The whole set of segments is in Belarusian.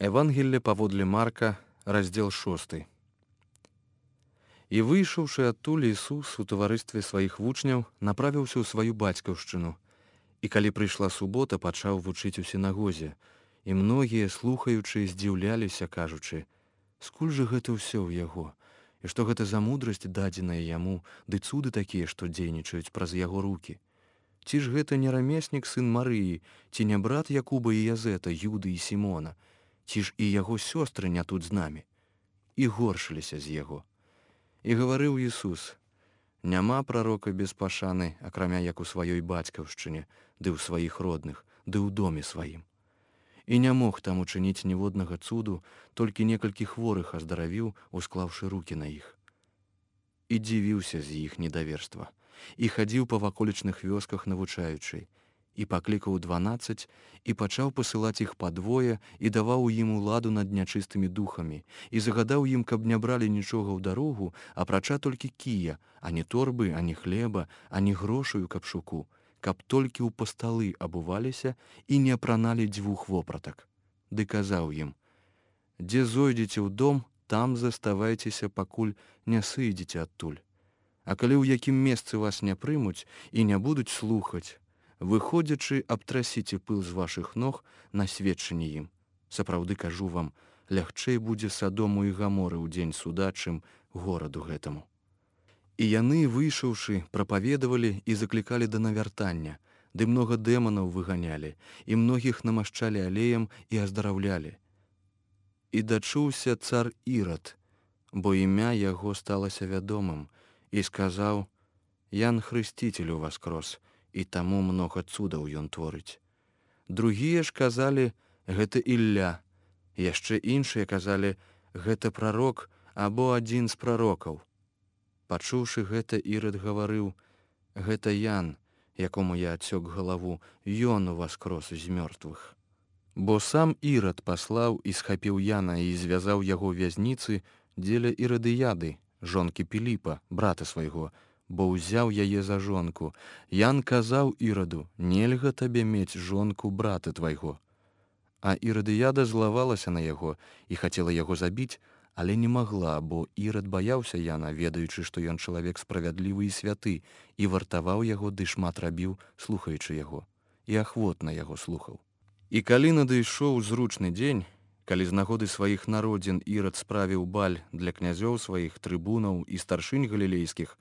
Евангелле паводле Марка, раздзел 6. І выйшаўшы адтуль, Ісус у таварыстве сваіх вучняў направіўся ў сваю бацькаўшчыну. І калі прыйшла субота, пачаў вучыць у сінагозе. І многія, слухаючы, здзіўляліся, кажучы: «Скуль жа гэта ўсё ў яго? І што гэта за мудрасць дадзеная яму, ды цуды такія, што дзейнічаюць праз яго рукі? Ці ж гэта не рамеснік, сын Марыі, ці не брат Якуба і Язэта, Юды і Сімона? Ці ж і яго сёстры не тут з намі?» І горшыліся з яго. І гаварыў Ісус: «Няма прарока без пашаны, акрамя як у сваёй бацькаўшчыне, ды ў сваіх родных, ды ў доме сваім». І не мог там учыніць ніводнага цуду, толькі некалькі хворых аздаравіў, усклаўшы рукі на іх. І дзівіўся з іх недаверства, і хадзіў па ваколічных вёсках навучаючы, і паклікаў 12, і пачаў пасылаць іх падвое, і даваў ім уладу над нячыстымі духамі, і загадаў ім, каб не бралі нічога ў дарогу, апрача толькі кія, ані торбы, ані хлеба, ані грошаю капшуку, каб толькі ў пасталы абуваліся і не апраналі 2 вопратак. Ды казаў ім: «Дзе зойдзеце ў дом, там заставайцеся, пакуль не сыйдзеце адтуль. А калі ў якім месцы вас не прымуць і не будуць слухаць, выходзячы, абтрасіце пыл з вашых ног на сведчанне ім. Сапраўды кажу вам, лягчэй будзе Садому і Гаморы ў дзень суда, чым гораду гэтаму». І яны, выйшаўшы, прапаведавалі і заклікалі да навяртання, ды многа дэманаў выганялі, і многіх намашчалі алеем і аздараўлялі. І дачуўся цар Ірад, бо імя яго сталася вядомым, і сказаў: «Ян Хрысціцель уваскрос, і таму многа цудаў ён творыць». Другія ж казалі: «Гэта Ілля». Яшчэ іншыя казалі: «Гэта прарок або адзін з прарокаў». Пачуўшы гэта, Ірад гаварыў: «Гэта Ян, якому я адсёк галаву, ён уваскрос з мёртвых». Бо сам Ірад паслаў і схапіў Яна і звязаў яго ў вязніцы дзеля Ірадыяды, жонкі Піліпа, брата свайго, бо ўзяў яе за жонку. Ян казаў Іраду: «Нельга табе мець жонку брата твайго». А Ірадыяда злавалася на яго і хацела яго забіць, але не магла, бо Ірад баяўся Яна, ведаючы, што ён чалавек справядлівы і святы, і вартаваў яго, ды шмат рабіў, слухаючы яго, і ахвотна яго слухаў. І калі надышоў зручны дзень, калі з нагоды сваіх народзін Ірад справіў баль для князёў сваіх, трыбунаў і старшынь галілейскіх,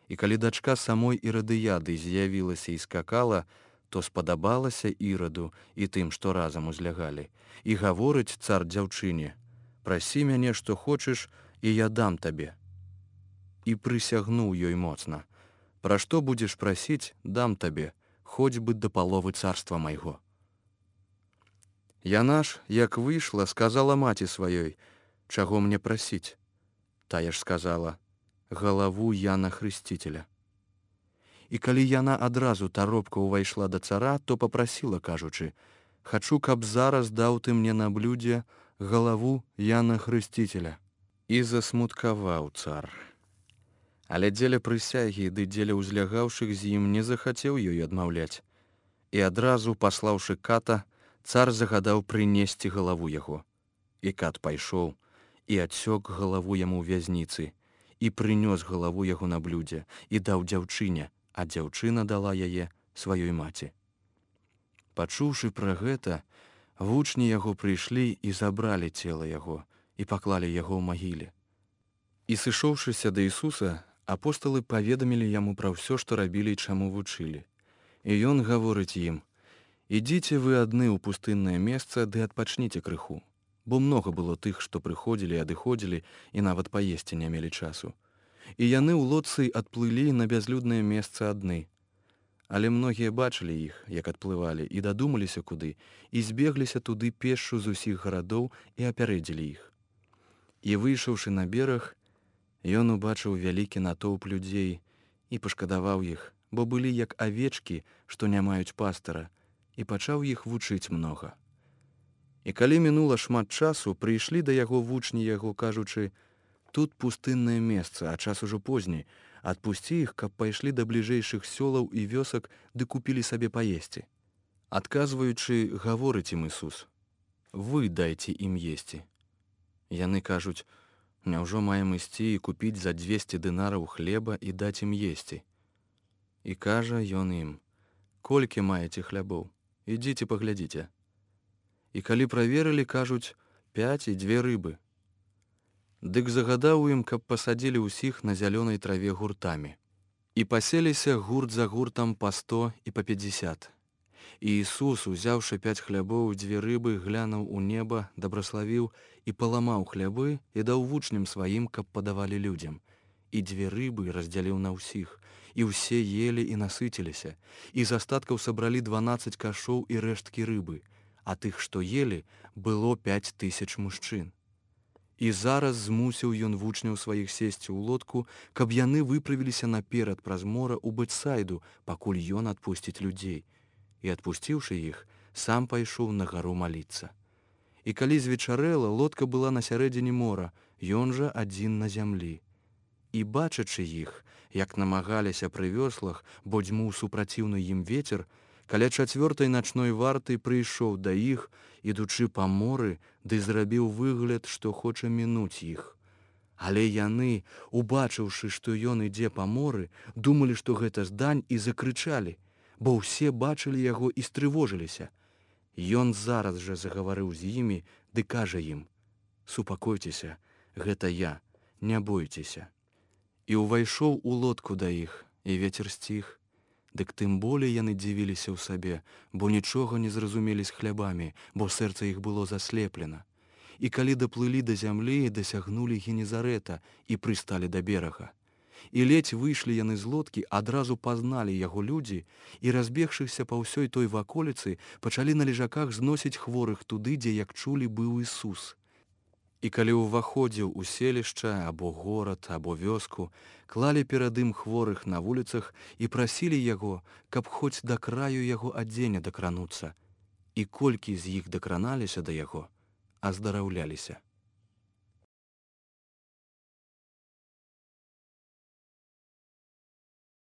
і калі дачка самой Ірадыяды з'явілася і скакала, то спадабалася Іраду і тым, што разам узлягалі. І гаворыць цар дзяўчыне: «Прасі мяне, што хочаш, і я дам табе». І прысягнуў ёй моцна: «Пра што будзеш прасіць, дам табе, хоць бы да паловы царства майго». Яна ж, як выйшла, сказала маці сваёй: «Чаго мне прасіць?» Тая ж сказала: «Галаву Яна Хрысціцеля». І калі яна адразу таропка ўвайшла да цара, то папрасіла, кажучы: «Хачу, каб зараз даў ты мне на блюдзе галаву Яна Хрысціцеля». І засмуткаваў цар. Але дзеля прысягі ды дзеля ўзлягаўшых з ім не захацеў ёй адмаўляць. І адразу, паслаўшы ката, цар загадаў прынесці галаву яго. І кат пайшоў, і адсёк галаву яму ў вязніцы, і прынёс галаву яго на блюдзе, і даў дзяўчыне, а дзяўчына дала яе сваёй маці. Пачуўшы пра гэта, вучні яго прыйшлі і забралі цела яго, і паклалі яго ў магіле. І сышоўшыся да Ісуса, апосталы паведамілі яму пра ўсё, што рабілі і чаму вучылі. І ён гаворыць ім: «Ідзіце вы адны ў пустыннае месца, ды адпачніце крыху». Бо многа было тых, што прыходзілі і адыходзілі, і нават паесці не мелі часу. І яны ў лодцы адплылі на бязлюднае месца адны. Але многія бачылі іх, як адплывалі, і дадумаліся куды, і збегліся туды пешшу з усіх гарадоў і апярэдзілі іх. І выйшаўшы на бераг, ён убачыў вялікі натоўп людзей і пашкадаваў іх, бо былі як авечкі, што не маюць пастара, і пачаў іх вучыць многа. І калі мінула шмат часу, прыйшлі да яго вучні яго, кажучы: «Тут пустыннае месца, а час ужо позні. Адпусці іх, каб пайшлі да бліжэйшых сёлаў і вёсак, ды купілі сабе паесці». Адказваючы, гаворыць ім Ісус: вы дайце ім есці. Яны кажуць: няўжо маем ісці і купіць за 200 дынараў хлеба і даць ім есці? І кажа ён ім: колькі маеце хлябоў? Ідзіце паглядзіце. І калі праверылі, кажуць: 5 і 2 рыбы. Дык загадаў ім, каб пасадзілі ўсіх на зялёнай траве гуртамі. І паселіся гурт за гуртам па 100 і па 50. І Ісус, узяўшы 5 хлябоў і 2 рыбы, глянуў у неба, дабраславіў і паламаў хлябы і даў вучням сваім, каб падавалі людзям. І 2 рыбы раздзяліў на ўсіх, і ўсе елі і насыціліся, і з астаткаў сабралі 12 кашоў і рэшткі рыбы, а тых, што елі, было 5000 мужчын. І зараз змусіў ён вучняў сваіх сесці ў лодку, каб яны выправіліся наперад праз мора ў Бэтсайду, пакуль ён адпусціць людзей. І адпусціўшы іх, сам пайшоў на гару маліцца. І калі звечарэла, лодка была на сярэдзіне мора, ён жа адзін на зямлі. І бачачы іх, як намагаліся пры вёслах, бо дзьмуў супраціўны ім вецер, каля 4-й начной варты прыйшоў да іх, ідучы па моры, ды зрабіў выгляд, што хоча мінуць іх. Але яны, убачыўшы, што ён ідзе па моры, думалі, што гэта здань, і закрычалі, бо ўсе бачылі яго і стрывожыліся. Ён зараз жа загаварыў з імі, ды кажа ім: супакойцеся, гэта я, не бойцеся. І ўвайшоў у лодку да іх, і вецер сціх. Дык тым болей яны дзівіліся ў сабе, бо нічога не зразумелі з хлябамі, бо сэрца іх было заслеплена. І калі даплылі да зямлі, дасягнулі Генезарэта і прысталі да берага. І ледзь выйшлі яны з лодкі, адразу пазналі яго людзі, і, разбегшыся па ўсёй той ваколіцы, пачалі на лежаках зносіць хворых туды, дзе, як чулі, быў Ісус. І калі ўваходзіў у селішча, або горад, або вёску, клалі перад ім хворых на вуліцах і прасілі яго, каб хоць да краю яго адзення дакрануцца. І колькі з іх дакраналіся да яго, аздараўляліся.